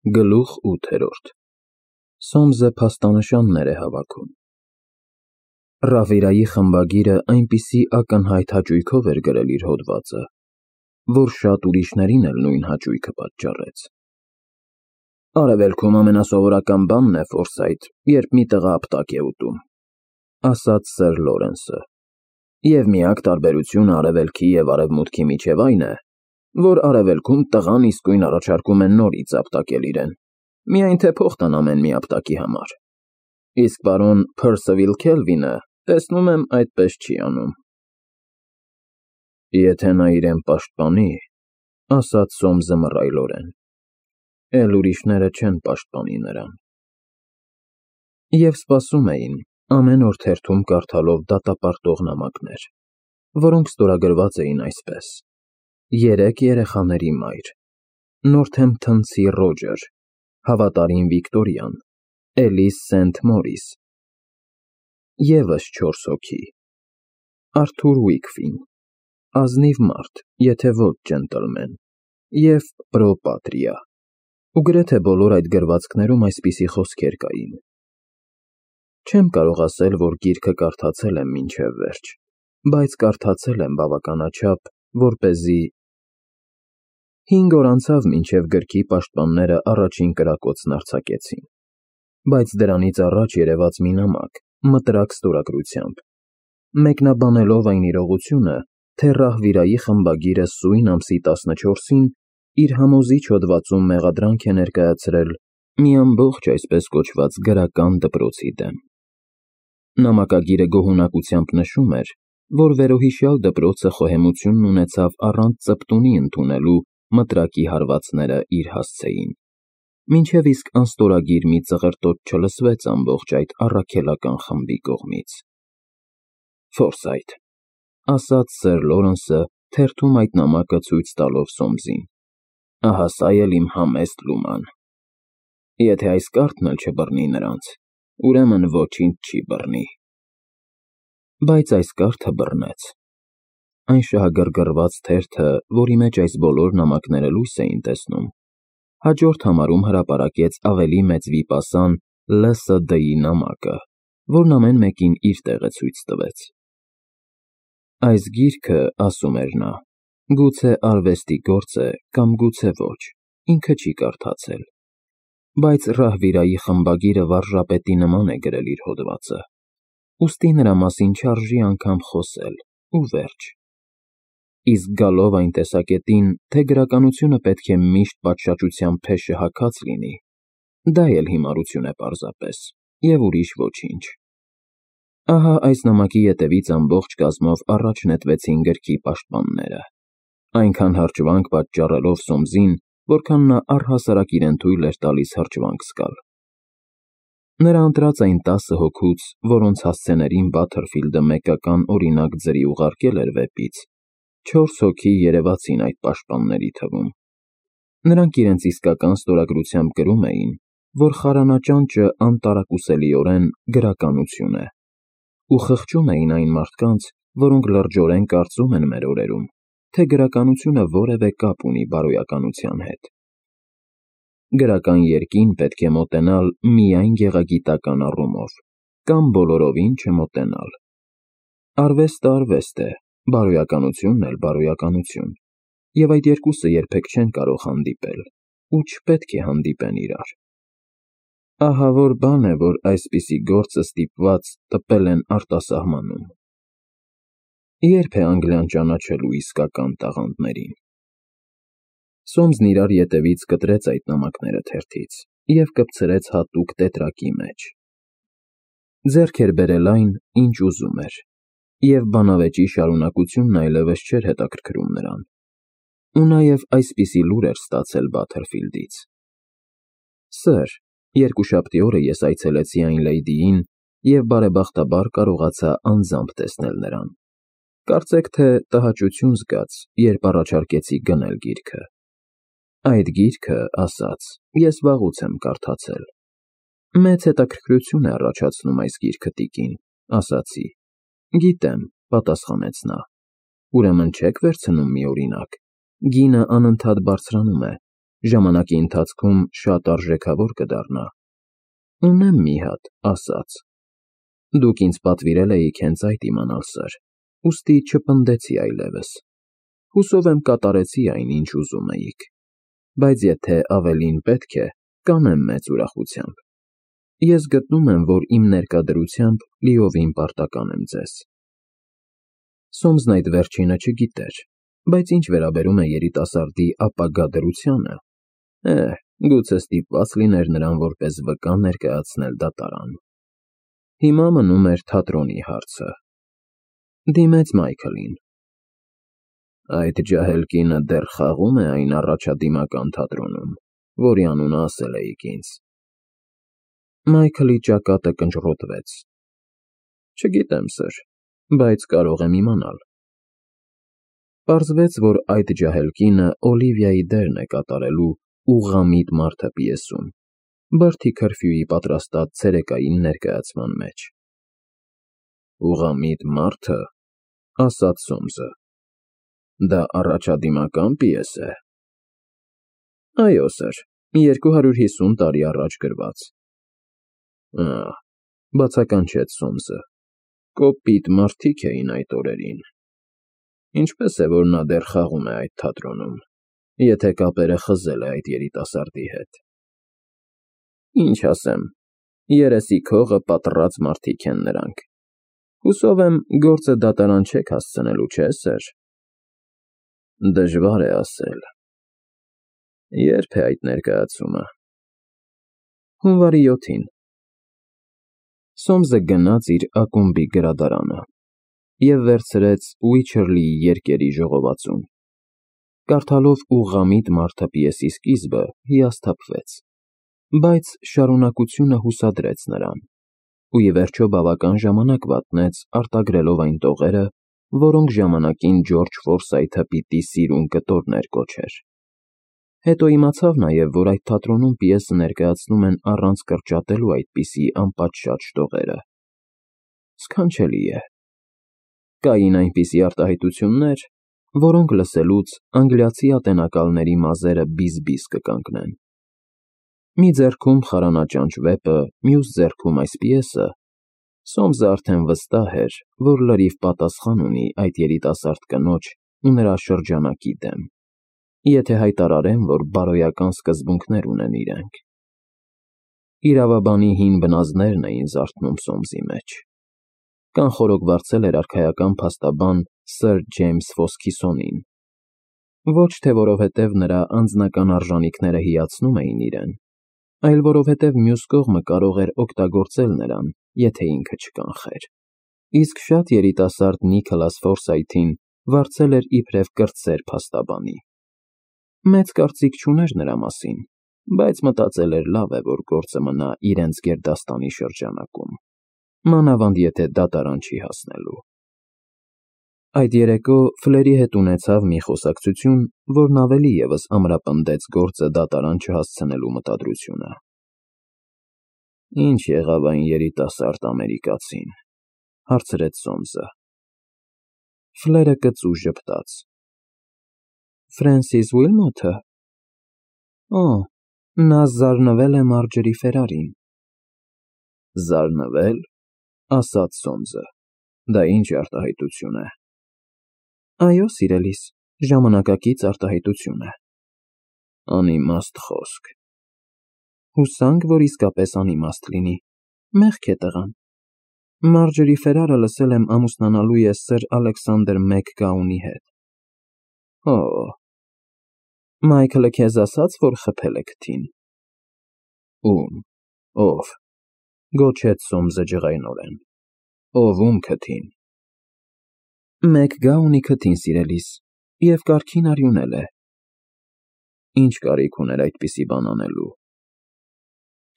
Գլուխ 8 Սոմզը փաստանշաններ է հավաքում։ Ռավիրայի խմբագիրը այնպիսի ակնհայտ հաճույքով էր գրել իր հոդվածը, որ շատ ուրիշներին էլ նույն հաճույքը պատճառեց։ Արևելքում ամենասովորական բանն է, Ֆորսայթ, երբ մի տղա ապտակ է ուտում, ասաց սեր Լորենսը, և միակ տարբերությունը արևելքի և արևմուտքի միջև այն է, որ արևելքում տղան իսկույն առաջարկում է նորից ապտակել իրեն, միայն թե փող տան ամեն մի ապտակի համար, իսկ պարոն Փըրսիվիլ Քելվինը, տեսնում եմ, այդպես չի անում։ Եթե նա իրեն պաշտպանի, ասաց Սոմզը մռայլորեն, էլ ուրիշները չեն պաշտպանի նրան։ Եվ սպասում էին, ամեն օր թերթում կարդալով դատապարտող նամակներ, որոնք ստորագրված էին այսպես. 3 երեխաների մայր, Նորթեմփթոնցի Ռոջեր, հավատարիմ Վիկտորիան, Էլիս Սենթ Մորիս, ևս 4 հոգի, Արթուր Ուիկֆին, ազնիվ մարդ, եթե ոչ ջենտլմեն, և Պրո Պատրիա, ու գրեթե բոլոր այդ գրվածքներում այսպիսի խոսքեր կային. Չեմ կարող ասել, որ գիրքը կարդացել եմ մինչև վերջ, բայց կարդացել եմ բավականաչափ, որպեսզի 5 օր անցավ, մինչև գրքի պաշտպանները առաջին կրակոցն արձակեցին, բայց դրանից առաջ երևաց մի նամակ, մտրակ ստորագրությամբ, մեկնաբանելով այն իրողությունը, թե Ռահվիրայի խմբագիրը սույն ամսի 14-ին իր համոզիչ հոդվածում մեղադրանք է ներկայացրել մի ամբողջ այսպես կոչված գրական դպրոցի դեմ։ Նամակագիրը գոհունակությամբ նշում էր, որ վերոհիշյալ դպրոցը խոհեմությունն ունեցավ առանց ծպտունի ընդունելու մտրակի հարվածները իր հասցեին, մինչև իսկ անստորագիր մի ծղրտոտ չլսվեց ամբողջ այդ առաքելական խմբի կողմից։ Ֆորսայթ, ասաց սեր Լորենսը, թերթում այդ նամակը ցույց տալով Սոմզին, ահա սա էլ իմ համեստ Լուման։ Եթե այս կառքն էլ չբռնի նրանց, ուրեմն ոչինչ չի բռնի։ Բայց այս կարդը բռնեց։ Այն շահագրգռված թերթը, որի մեջ այս բոլոր նամակները լույս էին տեսնում, հաջորդ համարում հրապարակեց ավելի մեծ վիպասան ԼՍԴ-ի նամակը, որն ամեն մեկին իր տեղը ցույց տվեց։ Այս գիրքը, ասում էր նա, գուցե արվեստի գործ է կամ գուցե ոչ, ինքը չի կարդացել, բայց Ռահվիրայի խմբագիրը վարժապետի նման է գրել իր հոդվածը, ուստի նրա մասին չարժի անգամ խոսել, ու վերջ։ Իսկ գալով այն տեսակետին, թե գրականությունը պետք է միշտ պատշաճության փեշը հագած լինի, դա էլ հիմարություն է պարզապես, և ուրիշ ոչինչ։ Ահա այս նամակի ետևից ամբողջ կազմով առաջ նետվեցին գրքի պաշտպանները, այնքան հրճվանք պատճառելով Սոմզին, որքան նա առհասարակ իրեն թույլ էր տալիս հրճվանք զգալ։ Նրա ընտրած այն 10 հոգուց, որոնց հասցեներին Բաթերֆիլդը մեկական օրինակ ձրի ուղարկել էր վեպից, 4 հոգի երևացին այդ պաշտպանների թվում։ Նրանք իրենց իսկական ստորագրությամբ գրում էին, որ խարանաճանճը անտարակուսելիորեն գրականություն է, ու խղճում էին այն մարդկանց, որոնք լրջորեն կարծում են մեր օրերում, թե գրականությունը որևէ կապ ունի բարոյականության հետ։ Գրական երկին պետք է մոտենալ միայն գեղագիտական առումով, կամ բոլորովին չմոտենալ։ Արվեստը արվեստ է, բարոյականությունն էլ բարոյականություն, և այդ երկուսը երբեք չեն կարող հանդիպել, ու չպետք է հանդիպեն իրար։ Ահավոր բան է, որ այսպիսի գործը ստիպված տպել են արտասահմանում։ Ե՞րբ է Անգլիան ճանաչելու իսկական տաղանդներին։ Սոմզն իրար ետևից կտրեց այդ նամակները թերթից և կպցրեց հատուկ տետրակի մեջ։ Ձեռք էր բերել այն, ինչ ուզում էր, և բանավեճի շարունակությունն այլևս չէր հետաքրքրում նրան, ու նաև այսպիսի լուր էր ստացել Բաթերֆիլդից. Սըր, երկուշաբթի օրը ես այցելեցի այն լեյդիին և բարեբախտաբար կարողացա անձամբ տեսնել նրան։ Կարծեք թե տհաճություն զգաց, երբ առաջարկեցի գնել գիրքը։ Այդ գիրքը, ասաց, ես վաղուց եմ կարդացել։ Մեծ հետաքրքրություն է առաջացնում այս գիրքը, տիկին, ասացի։ Գիտեմ, պատասխանեց նա։ Ուրեմն չեք վերցնում մի օրինակ։ Գինը անընդհատ բարձրանում է, ժամանակի ընթացքում շատ արժեքավոր կդառնա։ Ունեմ մի հատ, ասաց։ Դուք ինձ պատվիրել էիք հենց այդ իմանալ, սըր, ուստի չպնդեցի այլևս։ Հուսով եմ կատարեցի այն, ինչ ուզում էիք, բայց եթե ավելին պետք է, կանեմ մեծ ուրախությամբ։ Ես գտնում եմ, որ իմ ներկադրությամբ լիովին պարտական եմ ձեզ։ Սոմսն այդ վերջինը չգիտեր, բայց ինչ վերաբերում է երիտասարդի ապագա դրությանը, գուցե ստիպված լիներ նրան որպես վկա ներկայացնել դատարան։ Հիմա մնում էր թատրոնի հարցը։ Դիմեց Մայքլին։ Այդ ջահել կինը դեռ խաղում է այն առաջադիմական թատրոնում, որի անունը ասել էիք ինձ։ Մայքլի ճակատը կնճռոտվեց։ Չգիտեմ, սըր, բայց կարող եմ իմանալ։ Պարզվեց, որ այդ ջահել կինը Օլիվիայի դերն է կատարելու Ուղղամիտ մարդը պիեսում, Բրդի քրֆյուի պատրաստած ցերեկային ներկայացման մեջ։ Ուղղամիտ մարդը, ասաց Սոմսը, դա առաջադիմական պիես է։ Այո, սըր, 250 տարի առաջ գրված։ Բացականչեց Սոմսը, կոպիտ մարդիկ էին այդ օրերին։ Ինչպես է, որ նա դեռ խաղում է այդ թատրոնում, եթե կապերը խզել է այդ երիտասարդի հետ։ Ինչ ասեմ, երեսի քողը պատռած մարդիկ են նրանք։ Հուսով եմ, գործը դատարան չեք հասցնելու, չէ՞, սըր։ Դժվար է ասել։ Երբ է այդ ներկայացումը։ Հունվարի 7-ին։ Սոմսը գնաց իր ակումբի գրադարանը և վերցրեց Ուիչերլիի երկերի ժողովածուն։ Կարդալով Ուղղամիտ մարդը պիեսի սկիզբը հիասթափվեց, բայց շարունակությունը հուսադրեց նրան, ու ի վերջո բավական ժամանակ վատնեց արտագրելով այն տողերը, որոնք ժամանակին Ջորջ Ֆորսայթը պիտի սիրուն կտորներ կոչեր։ Հետո իմացավ նաև, որ այդ թատրոնում պիեսը ներկայացնում են առանց կրճատելու այդպիսի անպատշաճ տողերը։ Սքանչելի է։ Կային այնպիսի արտահայտություններ, որոնք լսելուց անգլիացի ատենակալների մազերը բիզ-բիզ կկանգնեն։ Մի ձեռքում խարանաճանճ վեպը, մյուս ձեռքում այս պիեսը, Սոմսը արդեն վստահ էր, որ լրիվ պատասխան ունի այդ երիտասարդ կնոջ ու նրա շրջանակի դեմ, եթե հայտարարեն, որ բարոյական սկզբունքներ ունեն իրենք։ Իրավաբանի հին բնազդներն էին զարթնում Սոմսի մեջ։ Կանխորոգ վարձել էր արքայական փաստաբան Սըր Ջեյմս Ֆոսքիսոնին, ոչ թե որովհետև նրա անձնական արժանիքները հիացնում էին իրեն, այլ որովհետև մյուս կողմը կարող էր օգտագործել նրան, եթե ինքը չկանխեր։ Իսկ շատ երիտասարդ Նիքոլաս Ֆորսայթին վարձել էր իբրև կրտսեր փաստաբանի։ Մեծ կարծիք չուներ նրա մասին, բայց մտածել էր լավ է, որ գործը մնա իրենց գերդաստանի շրջանակում, մանավանդ եթե դատարան չի հասնելու։ Այդ երեկո Ֆլերի հետ ունեցավ մի խոսակցություն, որն ավելի ևս ամրապնդեց գործը դատարան չհասցնելու մտադրությունը։ Ինչ եղավ այն երիտասարդ ամերիկացին, հարցրեց Սոմսը։ Ֆլերը կծու ժպտաց։ Ֆրենսիս Ուիլմոթը։ Նա զարնվել է Մարջերի Ֆերարին։ Զարնվել, ասաց Սոմսը։ Դա ինչ արտահայտություն է։ Այո, սիրելիս, ժամանակակից արտահայտություն է։ Անիմաստ խոսք։ Հուսանք, որ իսկապես անիմաստ լինի։ Մեղք է տղան։ Մարջերի Ֆերարը լսել եմ ամուսնանալու է Սըր Ալեքսանդր Մեքգաունի հետ։ Մայքլը քեզ ասաց, որ խփել է քթին։ Ում, ով, գոչեց Սոմսը ջղայնորեն։ Ում քթին։ Մեքգաունի քթին, սիրելիս, և կարգին արյունել է։ Ինչ կարիք ուներ այդպիսի բան անելու։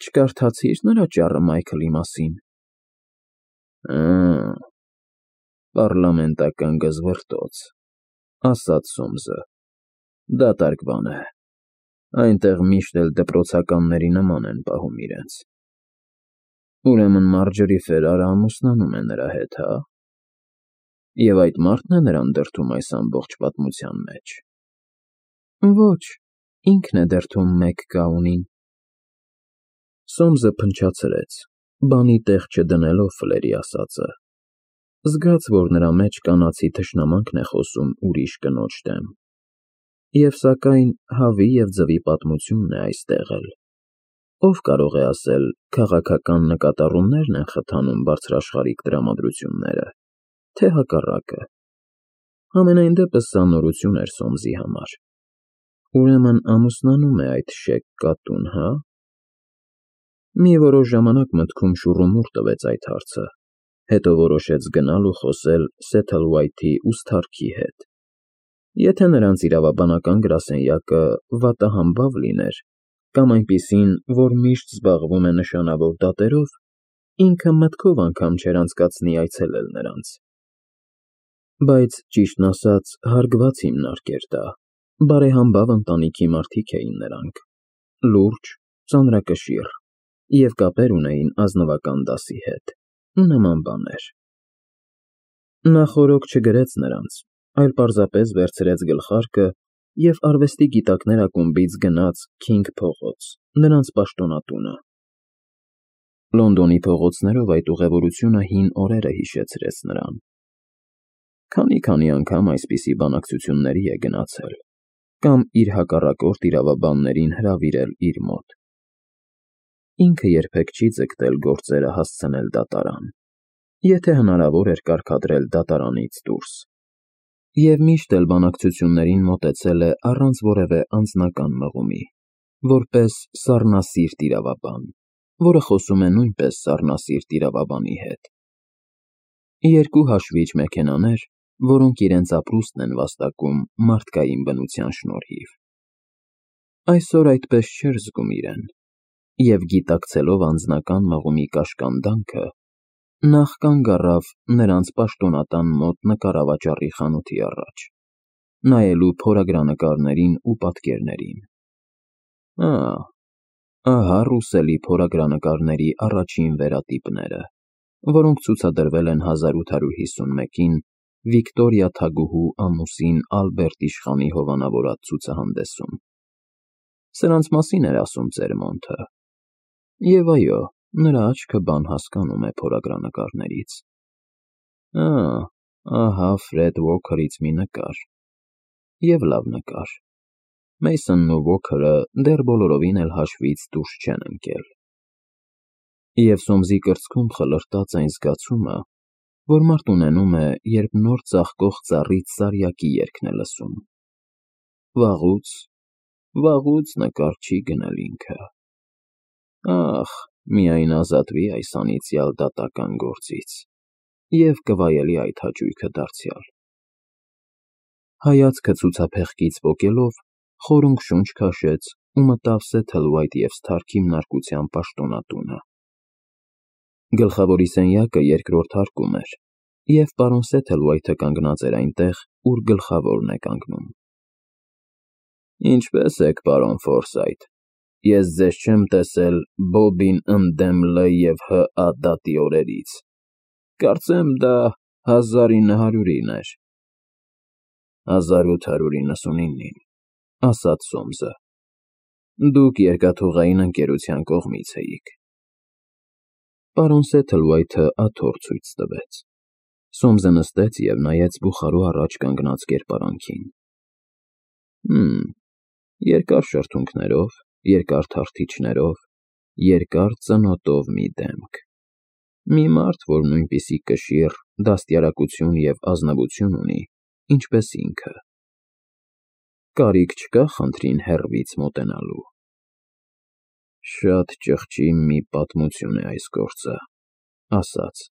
Չկարդացի՞ր նրա ճառը Մայքլի մասին։ Պառլամենտական գզվռտոց, ասաց Սոմսը։ Դատարկ բան է։ Այնտեղ միշտ էլ դպրոցականների նման են պահում իրենց։ Ուրեմն Մարջերի Ֆերարը ամուսնանում է նրա հետ, հա՞։ Եվ այդ մարդն է նրան դրդում այս ամբողջ պատմության մեջ։ Ոչ, ինքն է դրդում մեկ գաունին։ Սոմսը փնչացրեց, բանի տեղ չդնելով Ֆլերի ասածը, զգաց, որ նրա մեջ կանացի թշնամանքն է խոսում ուրիշ կնոջ դեմ, և սակայն հավի և ձվի պատմությունն է այստեղ էլ։ Ով կարող է ասել, քաղաքական նկատառումնե՞րն են խթանում բարձրաշխարհիկ տրամադրությունները, թե հակառակը։ Համենայն դեպս սա նորություն էր Սոմսի համար։ Ուրեմն ամուսնանում է այդ շեկ կատուն, հա՞։ Մի որոշ ժամանակ մտքում շուռումուռ տվեց այդ հարցը, հետո որոշեց գնալ ու խոսել Սեթլվայթի ուստարքի հետ։ Եթե նրանց իրավաբանական գրասենյակը վատահամբավ լիներ, կամ այնպիսին, որ միշտ զբաղվում է նշանավոր դատերով, ինքը մտքով անգամ չէր անցկացնի այցելել նրանց։ Բայց, ճիշտն ասած, հարգված հիմնարկ էր դա, բարեհամբավ ընտանիքի մարդիկ էին նրանք, լուրջ, ծանրակշիռ, և կապեր ունեին ազնվական դասի հետ, նման բաներ։ Նա խորոք չգրեց նրանց, այլ պարզապես վերցրեց գլխարկը և արվեստի գիտակներ ակումբից գնաց Քինգ փողոց, նրանց պաշտոնատունը։ Լոնդոնի փողոցներով այդ ուղևորությունը հին օրերը հիշեցրեց նրան։ Քանի անգամ այսպիսի բանակցությունների է գնացել, կամ իր հակառակորդ իրավաբաններին հրավիրել իր մոտ։ Ինքը երբեք չի ձգտել գործերը հասցնել դատարան, եթե հնարավոր էր կարգադրել դատարանից դուրս, և միշտ էլ բանակցություններին մոտեցել է առանց որևէ անձնական մղումի, որպես սառնասիրտ իրավաբան, որը խոսում է նույնպես սառնասիրտ իրավաբանի հետ։ Երկու հաշվիչ մեքենաներ, որոնք իրենց ապրուստն են վաստակում մարդկային բնության շնորհիվ։ Այսօր այդպես չէր զգում իրեն, և գիտակցելով անձնական մղումի կաշկանդանքը, նախ կանգ առավ նրանց պաշտոնատան մոտ նկարավաճառի խանութի առաջ, նայելու փորագրանկարներին ու պատկերներին։ Ահա ռուսելի փորագրանկարների առաջին վերատիպները, որոնք ցուցադրվել են 1851-ին Վիկտորիա թագուհու ամուսին Ալբերտ իշխանի հովանավորած ցուցահանդեսում։ Սրանց մասին էր ասում Ծերմոնթը։ Եվ այո, նրա աչքը բան հասկանում է փորագրանկարներից։ Ահա Ֆրեդ Ուոքերից մի նկար։ Եվ լավ նկար։ Մեյսոնն ու Ուոքերը դեռ բոլորովին էլ հաշվից դուրս չեն ընկել։ Եվ Սոմսի կրծքում խլրտաց այն զգացումը, որ մարդ ունենում է, երբ նոր ծաղկող ծառից սարյակի երգն է լսում։ Վաղուց նկար չի գնել ինքը։ Ախ, միայն ազատվի այս անիծյալ դատական գործից, և կվայելի այդ հաճույքը դարձյալ։ Հայացքը ցուցափեղկից պոկելով, խորունգ շունչ քաշեց ու մտավ Սեթլվայթ և Սթարք հիմնարկության պաշտոնատունը։ Գլխավորի սենյակը երկրորդ հարկում էր, և պարոն Սեթլվայթը կանգնած էր այնտեղ, ուր գլխավորն է կանգնում։ Ինչպե՞ս եք, պարոն Ֆորսայթ, ես ձեզ չեմ տեսել Բոբին ընդդեմ Լ և Հ դատի օրերից, կարծեմ դա 1900-ին էր։ 1899-ին, ասաց Սոմսը։ Դուք երկաթուղային ընկերության կողմից էիք։ Պարոն Սեթլվայթը աթոռ ցույց տվեց։ Սոմսը նստեց և նայեց բուխարու առաջ կանգնած կերպարանքին։ Երկար շրթունքներով, երկար թարթիչներով, երկար ծնոտով մի դեմք։ Մի մարդ, որ նույնպիսի կշիռ, դաստիարակություն և ազնվություն ունի, ինչպես ինքը։ Կարիք չկա խնդրին հեռվից մոտենալու։ Շատ ճղճի մի պատմություն է այս գործը, ասաց։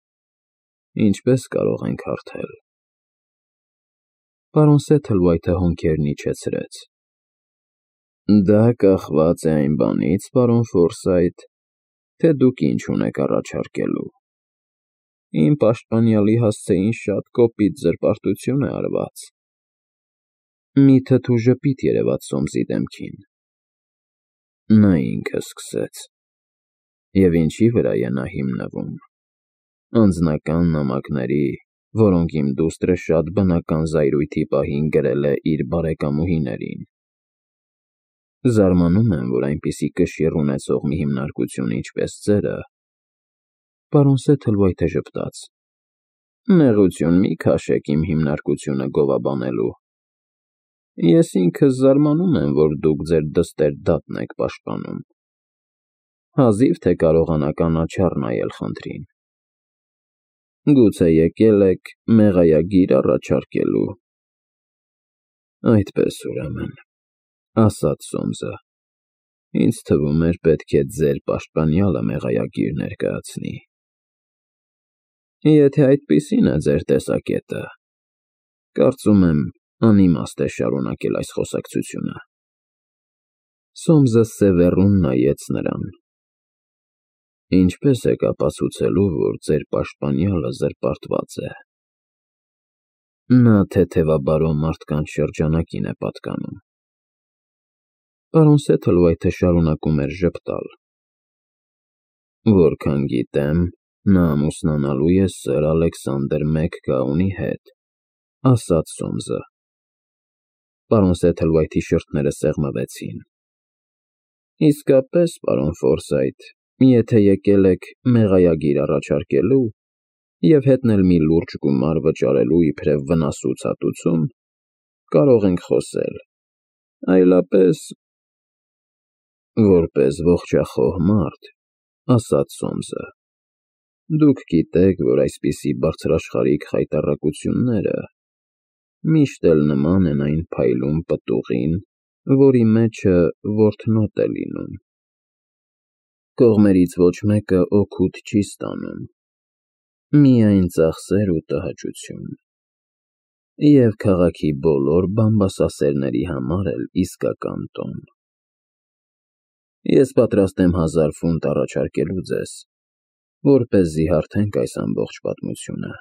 Ինչպես կարող ենք հարթել։ Պարոն Սեթլվայթը հոնքերն իջեցրեց։ Դա կախված է այն բանից, պարոն Ֆորսայթ, թե դուք ինչ ունեք առաջարկելու։ Իմ պաշտպանյալի հասցեին շատ կոպիտ զրպարտություն է արված։ Մի թթու ժպիտ երևաց Սոմսի դեմքին։ Նա ինքը սկսեց։ Եվ ինչի վրա է նա հիմնվում։ Անձնական նամակների, որոնք իմ դուստրը շատ բնական զայրույթի պահին գրել է իր բարեկամուհիներին։ Զարմանում եմ, որ այնպիսի կշիռ ունեցող մի հիմնարկություն ինչպես ձերը, պարոն Սեթլվայթը ժպտաց, նեղություն մի քաշեք իմ հիմնարկությունը գովաբանելու։ Ես ինքս զարմանում եմ, որ դուք ձեր դստեր դատն եք պաշտպանում։ Հազիվ թե կարողանաք անաչառ նայել խնդրին։ Գուցե եկել եք մեղայագիր առաջարկելու։ Այդպես ուրեմն, ասաց Սոմսը, ինձ թվում էր պետք է ձեր պաշտպանյալը մեղայագիր ներկայացնի։ Եթե այդպիսին է ձեր տեսակետը, կարծում եմ անիմաստ է շարունակել այս խոսակցությունը։ Սոմսը սևեռուն նայեց նրան։ Ինչպես եք ապացուցելու, որ ձեր պաշտպանյալը զրպարտված է։ Նա թեթևաբարո մարդկանց շրջանակին է պատկանում։ Պարոն Սեթլվայթը շարունակում էր ժպտալ։ Որքան գիտեմ, նա ամուսնանալու է սըր Ալեքսանդր Մեքգաունի հետ, ասաց Սոմսը։ Պարոն Սեթլվայթի շրթները սեղմվեցին։ Իսկապես, պարոն Ֆորսայթ, եթե եկել եք մեղայագիր առաջարկելու և հետնել մի լուրջ գումար վճարելու իբրև վնասուցածություն, կարող ենք խոսել, այլապես… Որպես ողջախոհ մարդ, ասաց Սոմսը, դուք գիտեք, որ այսպիսի բարձրաշխարհիկ խայտառակությունները միշտ էլ նման են այն փայլուն պտուղին, որի մեջը որթնոտ է լինում։ Կողմերից ոչ մեկը օգուտ չի ստանում, միայն ծախսեր ու տհաճություն։ Եվ քաղաքի բոլոր բամբասասերների համար էլ իսկական տոն։ Ես պատրաստ եմ 1000 ֆունտ առաջարկելու ձեզ, որպեսզի հարթենք այս ամբողջ պատմությունը։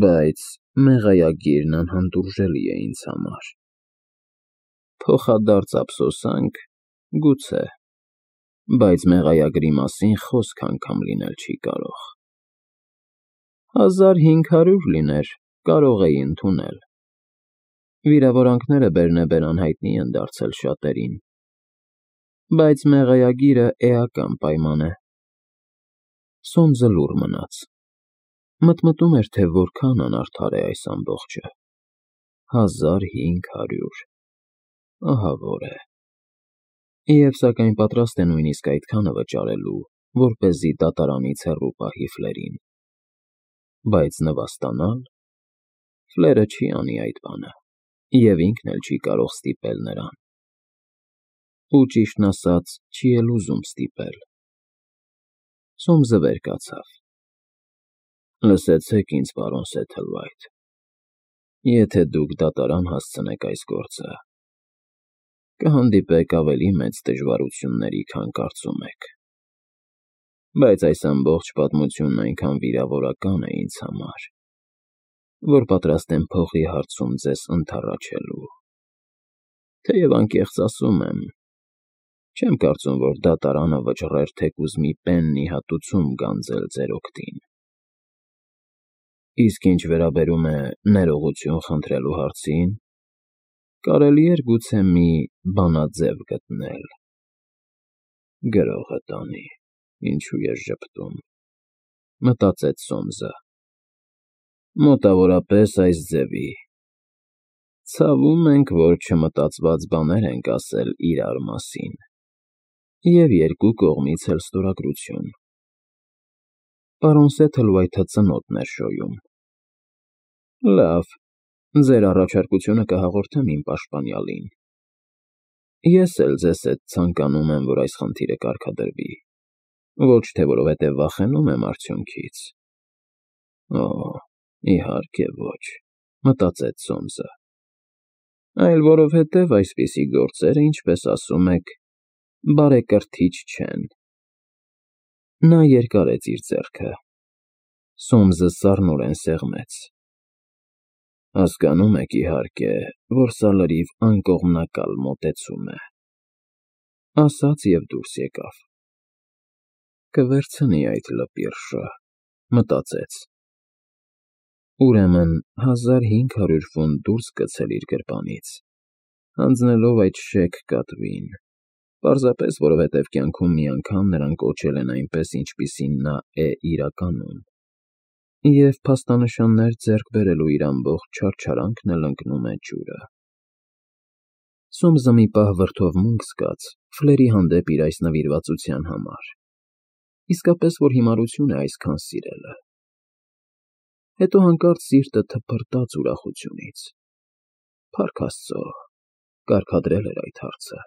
Բայց մեղայագիրն անհանդուրժելի է ինձ համար։ Փոխադարձ ափսոսանք, գուցե, բայց մեղայագրի մասին խոսք անգամ լինել չի կարող։ 1500 լիներ, կարող էի ընդունել։ Վիրավորանքները բերնեբեր անհայտնի են դարձել շատերին։ Բայց մեղայագիրը էական պայման է։ Սոմսը լուռ մնաց։ Մտմտում էր, թե որքան անարդար է այս ամբողջը։ 1500… Ահա որ է։ Եվ սակայն պատրաստ է նույնիսկ այդքանը վճարելու, որպեսզի դատարանից հեռու պահի Ֆլերին։ Բայց նվաստանալ… Ֆլերը չի անի այդ բանը, և ինքն էլ չի կարող ստիպել նրան։ Ու ճիշտն ասած, չի էլ ուզում ստիպել։ Սոմսը վեր կացավ։ Լսեցեք ինձ, պարոն Սեթլվայթ, եթե դուք դատարան հասցնեք այս գործը, կհանդիպեք ավելի մեծ դժվարությունների, քան կարծում եք։ Բայց այս ամբողջ պատմությունն այնքան վիրավորական է ինձ համար, որ պատրաստ եմ փողի հարցում ձեզ ընդառաջելու։ Թեև անկեղծ ասում եմ, չեմ կարծում, որ դատարանը վճռեր թեկուզ մի պեննի հատուցում գանձել ձեր օգտին։ Իսկ ինչ վերաբերում է ներողություն խնդրելու հարցին, կարելի էր գուցե մի բանաձև գտնել։ Գրողը տանի, ինչու ես ժպտում, մտածեց Սոմսը։ Մոտավորապես այս ձևի. Ցավում ենք, որ չմտածված բաներ ենք ասել իրար մասին, և երկու կողմից էլ ստորագրություն։ Պարոն Սեթլվայթը ծնոտն էր շոյում։ Լավ, ձեր առաջարկությունը կհաղորդեմ իմ պաշտպանյալին։ Ես էլ ձեզ հետ ցանկանում եմ, որ այս խնդիրը կարգադրվի, ոչ թե որովհետև վախենում եմ արդյունքից։ Օ, իհարկե ոչ, մտածեց Սոմսը, այլ որովհետև այսպիսի գործերը, ինչպես ասում եք, բարեկրթիչ չեն։ Նա երկարեց իր ձեռքը։ Սոմսը սառնորեն սեղմեց։ Հասկանում եք, իհարկե, որ սա լրիվ անկողմնակալ մոտեցում է, ասաց և դուրս եկավ։ Կվերցնի այդ լպիրշը, մտածեց։ Ուրեմն 1500 ֆունտ դուրս գցել իր գրպանից։ Հանձնելով այդ շեք կատվին, պարզապես որովհետև կյանքում մի անգամ նրան կոչել են այնպես, ինչպիսին նա է իրականում, և փաստանշաններ ձեռք բերելու իր ամբողջ չարչարանքն էլ ընկնում է ջուրը։ Սոմսը մի պահ վրդովմունք զգաց Ֆլերի հանդեպ իր այս նվիրվածության համար, իսկապես որ հիմարություն է այսքան սիրելը։ Հետո հանկարծ սիրտը թփրտաց ուրախությունից։ Փառք Աստծո, կարգադրել էր այդ հարցը։